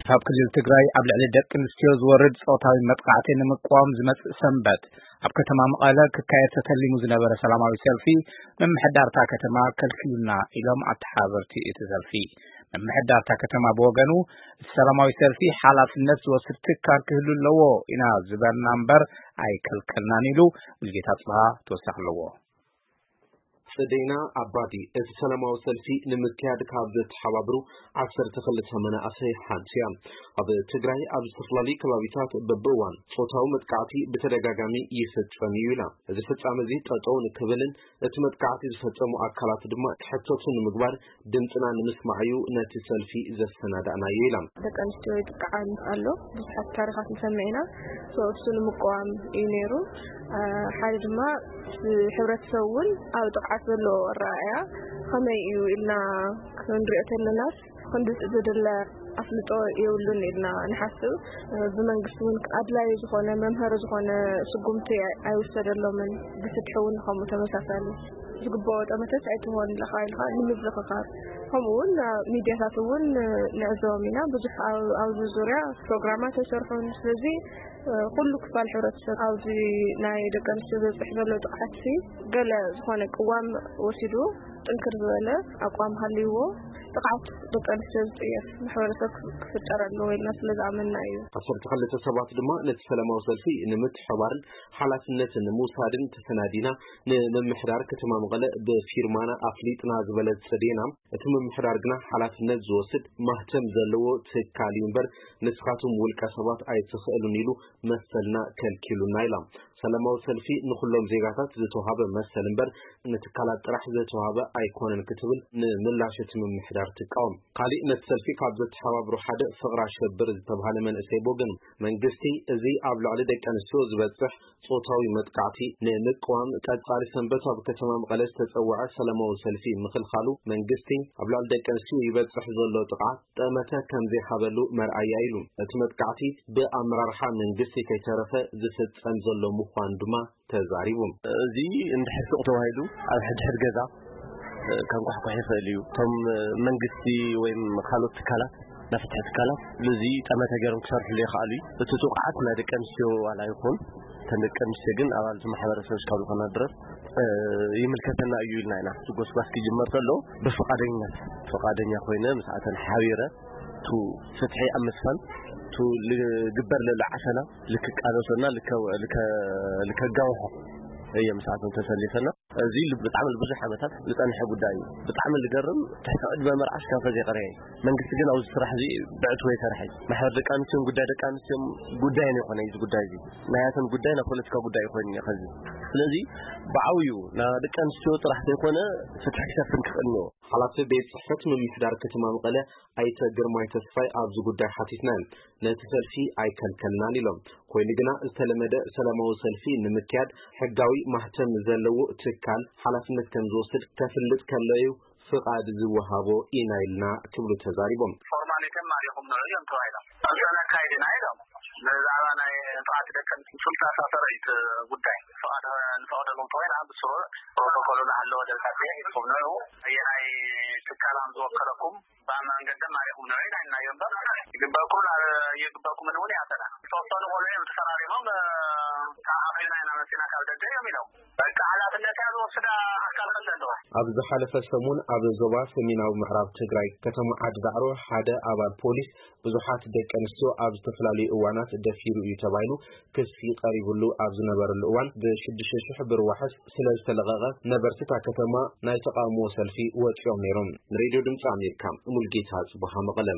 ካብ ክልል ትግራይ ኣብ ልዕሊ ደቂ ኣንስትዮ ዝወርድ ጾታዊ መጥቃዕቲ ንምቅዋም ዝመጽእ ሰንበት ኣብ ከተማ መቐለ ክካየድ ተተሊሙ ዝነበረ ሰላማዊ ሰልፊ ምምሕዳርታ ከተማ ከልኪሉና ኢሎም ኣተሓባበርቲ እቲ ሰልፊ። ምምሕዳርታ ከተማ ብወገኑ እቲ ሰላማዊ ሰልፊ ሓላፍነት ዝወስድ ትካል ክህሉ ኣለዎ ኢና ዝበልና እምበር ኣይከልከልናን ኢሉ። ሙልጌታ ጽብሃ ተወሳኺ ኣለዎ። ጽደይና ኣባዲ እቲ ሰላማዊ ሰልፊ ንምክያድ ካብ ዘተሓባብሩ ዓሰርተ ክልተ መናእሰይ ሓንቲ እያ። ኣብ ትግራይ ኣብ ዝተፈላለዩ ከባቢታት በብእዋን ጾታዊ መጥቃዕቲ ብተደጋጋሚ ይፍጸም እዩ ኢላ። እዚ ፍጻመ እዚ ጠጠው ንክብልን እቲ መጥቃዕቲ ዝፈጸሙ ኣካላት ድማ ክሕተቱ ንምግባር ድምፅና ንምስማዕ እዩ ነቲ ሰልፊ ዘሰናዳእናዮ ኢላ። ደቂ ኣንስትዮ ይጥቃዓን ኣሎ ብዙሓት ታሪኻት ንሰምዕ ኢና። እሱ ንምቅዋም እዩ ነይሩ። ሓደ ድማ ሕብረተሰብ እውን ኣብ ጥቕዓት ዘለዎ ኣረኣእያ ከመይ እዩ ኢልና ክንሪኦ ተለናስ ክንዲ ዝድለ ኣፍልጦ የብሉን ኢልና ንሓስብ። ብመንግስቲ እውን ኣድላዩ ዝኾነ መምሃሪ ዝኾነ ስጉምቲ ኣይውሰደሎምን። ብፍትሒ እውን ከምኡ ተመሳሳሊ ዝግበኦ ጠመተት ኣይትኾን ለኻ ኢልካ ንምዝኽኻር ከምኡ እውን ሚዲያታት እውን ንዕዘቦም ኢና። ብዙሕ ኣብዚ ዙርያ ፕሮግራማት ኣይሰርሑን። ስለዚ ኩሉ ክፋል ሕብረተሰብ ኣብዚ ናይ ደቂ ኣንስትዮ ዘብፅሕ ዘሎ ጥቕዓት ገለ ዝኾነ ቅዋም ወሲዱ ጥንክር ዝበለ ኣቋም ሃልይዎ ጥቕዓት ደቂ ኣንስትዮ ዝፅየፍ ማሕበረሰብ ክፍጠር ኣለዎ ኢልና ስለ ዝኣመንና እዩ። ዓሰርተ ክልተ ሰባት ድማ ነቲ ሰላማዊ ሰልፊ ንምትሕባርን ሓላፍነት ንምውሳድን ተሰናዲና ንምምሕዳር ከተማ መቐለ ብፊርማና ኣፍሊጥና ዝበለት ጽዴና፣ እቲ ምምሕዳር ግና ሓላፍነት ዝወስድ ማህተም ዘለዎ ትካል እዩ እምበር ንስኻትኩም ውልቀ ሰባት ኣይትኽእሉን ኢሉ መሰልና ከልኪሉና ኢላ። ሰላማዊ ሰልፊ ንኹሎም ዜጋታት ዝተዋሃበ መሰል እምበር ንትካላት ጥራሕ ዝተዋሃበ ኣይኮነን ክትብል ንምላሽ እቲ ምምሕዳር ትቃወም። ካሊእ ነቲ ሰልፊ ካብ ዘተሓባብሩ ሓደ ፍቕራ ሸብር ዝተባሃለ መንእሰይ ብወገኑ መንግስቲ እዚ ኣብ ልዕሊ ደቂ ኣንስትዮ ዝበፅሕ ጾታዊ መጥቃዕቲ ንምቅዋም ቀጻሊ ሰንበት ኣብ ከተማ መቐለ ዝተጸውዐ ሰላማዊ ሰልፊ ምኽልኻሉ መንግስቲ ኣብ ልዕሊ ደቂ ኣንስትዮ ይበፅሕ ዘሎ ጥቕዓት ጠመተ ከም ዘይሃበሉ መርኣያ ኢሉ። እቲ መጥቃዕቲ ብኣመራርሓ መንግስቲ ከይተረፈ ዝፍጸም ዘሎ ምዃኑ ድማ ተዛሪቡ። እዚ እንድሕር ሱቕ ተባሂሉ ኣብ ሕድሕድ ገዛ ከንኳሕኳሕ ይኽእል እዩ። እቶም መንግስቲ ወይም ካልኦት ትካላት ናይ ፍትሒ ትካላት እዚ ጠመተ ገይሮም ክሰርሕሉ ይኽኣሉ እዩ። እቲ ጥቕዓት ናይ ደቂ ኣንስትዮ ዋላ ይኹን እተን ደቂ ኣንስትዮ ግን ኣባል እቲ ማሕበረሰብ እስካብ ዝኾና ድረስ ይምልከተና እዩ ኢልና ኢና። እቲ ጎስጓስ ክጅመር ከሎ ብፍቓደኝነት ፍቓደኛ ኮይነ ምስኣተን ሓቢረ እቲ ፍትሒ ኣብ ምስፋን እቲ ልግበር ለሎ ዓፈና ልክቃለሶና ልከጋውሖ እየ ምስኣተን ተሰሊፈና። እዚ ብጣዕሚ ብዙሕ ዓመታት ዝፀንሐ ጉዳይ እዩ። ብጣዕሚ ዝገርም ትሕቲ ዕድመ መርዓ እስካብ ፈዚ የቐረየ እዩ። መንግስቲ ግን ኣብዚ ስራሕ እዚ ብዕትቦ ይሰርሐ እዩ። ማሕበር ደቂ ኣንስትዮን ጉዳይ ደቂ ኣንስትዮን ጉዳይ ነው የኾነ እዚ ጉዳይ እዚ ናያተን ጉዳይ ናይ ፖለቲካ ጉዳይ ይኮይን እዩ ከዚ ስለዚ ብዓብዩ ናይ ደቂ ኣንስትዮ ጥራሕ ዘይኮነ ፍትሒ ክሰፍን ክኽእል እኒኦ። ሓላፊ ቤት ፅሕፈት ምምሕዳር ከተማ መቐለ ኣይተ ግርማይ ተስፋይ ኣብዚ ጉዳይ ሓቲትና ነቲ ሰልፊ ኣይከልከልናን ኢሎም። ኮይኑ ግና ዝተለመደ ሰላማዊ ሰልፊ ንምክያድ ሕጋዊ ማህተም ዘለዎ ትካል ሓላፍነት ከም ዝወስድ ከፍልጥ ከሎ እዩ ፍቓድ ዝወሃቦ ኢና ኢልና ክብሉ ተዛሪቦም። ፎርማሊቲን ማሪኹም ንዑ እዮም ተባሂሎም። እዚ ነካይድ ኢና ኢሎም። ብዛዕባ ናይ ጥቓት ደቂ ኣንስትዮ ሱልሳ ሰራዊት ጉዳይ ፍቓድ ንፈቕደሉ እንተኾይና ብስሩዕ ፕሮቶኮሉ እናሃለወ ደብዳቤ ሂብኩም ንዑ ኣየናይ ትካላም ዝወከለኩም ብመንገዲ ማሪኹም ንዑ ኢና ኢልናዮ እምበር ይግበርኩም ይግበርኩምን እውን ይኣተና ዝተወሰኑ ቆልዑ እዮም ተፈራሪሞም ተዓቒብና ኢና መፂና ካብ ደገ እዮም ኢሎም። በቃ ሓላፍነታ ዝወስዳ ኣካል ከለ ኣለዎ። ኣብ ዝሓለፈ ሰሙን ኣብ ዞባ ሰሜናዊ ምዕራብ ትግራይ ከተማ ዓዲ ዳዕሮ ሓደ ኣባል ፖሊስ ብዙሓት ደቂ ኣንስትዮ ኣብ ዝተፈላለዩ እዋናት ደፊሩ እዩ ተባሂሉ ክሲ ቀሪብሉ ኣብ ዝነበረሉ እዋን ብሽዱሽተ ሽሕ ብር ዋሕስ ስለ ዝተለቐቐ ነበርቲ እታ ከተማ ናይ ተቓውሞ ሰልፊ ወፂኦም ነይሮም። ንሬድዮ ድምፂ ኣሜሪካ ሙልጌታ ጽቡሃ መቐለ።